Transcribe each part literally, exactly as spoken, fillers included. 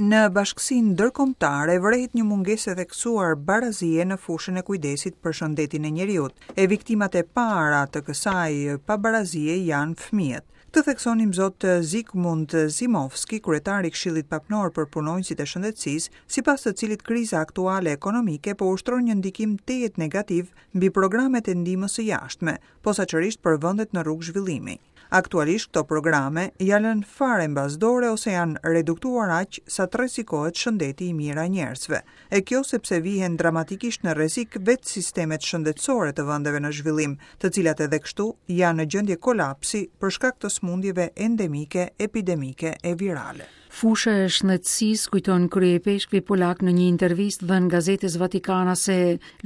Në bashkësinë ndërkombëtare vërehet një mungesë e theksuar barazie në fushën e kujdesit për shëndetin e njeriut, e viktimat e para të kësaj pabarazie janë fëmijët. Këtë thekson Imzot Zygmunt Zimowski, kryetari i Këshillit Papnor për Punonjësit e Shëndetësisë, sipas të cilit kriza aktuale ekonomike po ushtron një ndikim tejet negativ mbi programet e ndihmës së jashtme, posaçërisht për vendet në rrugë zhvillimi. Aktualisht këto programe janë lënë fare mbas dore ose janë reduktuar aq sa të rrezikohet shëndeti i mijëra njerëzve. E kjo sepse vihen dramatikisht në rrezik vetë sistemet shëndetësore të vendeve në zhvillim, të cilat edhe kështu janë në gjendje kolapsi për shkak të sëmundjeve endemike, epidemike e virale. Fusha e shëndetësisë, kujton kryeipeshkvi polak në një intervistë dhënë gazetës Vatikanase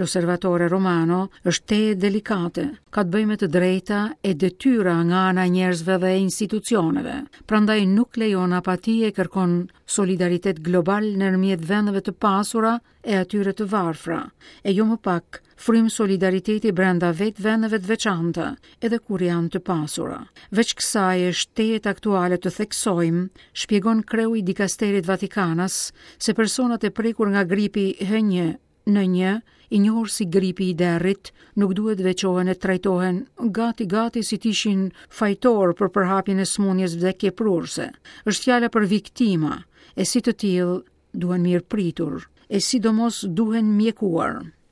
L'Osservatore Romano, është tejet delikate. Ka të bëjë me të drejta e detyra nga ana e njerëzve dhe institucioneve. Prandaj nuk lejon apati e kërkon solidaritet global ndërmjet vendeve të pasura e atyre të varfra, e jo më pak frymë solidariteti brenda vetë vendeve të veçanta, edhe kur janë të pasura. Veç kësaj është tejet aktuale të theksojmë, shpjegon kreu i dikasterit Vatikanas, se personat e prekur nga gripi H një N një, i njohur si gripi i derrit, nuk duhet veçohen e trajtohen gati gati si të ishin fajtor për përhapjen e sëmundjes vdekjeprurëse. Është fjala për viktima, e si të tillë duhen mirëpritur, e sidomos duhen mjekuar.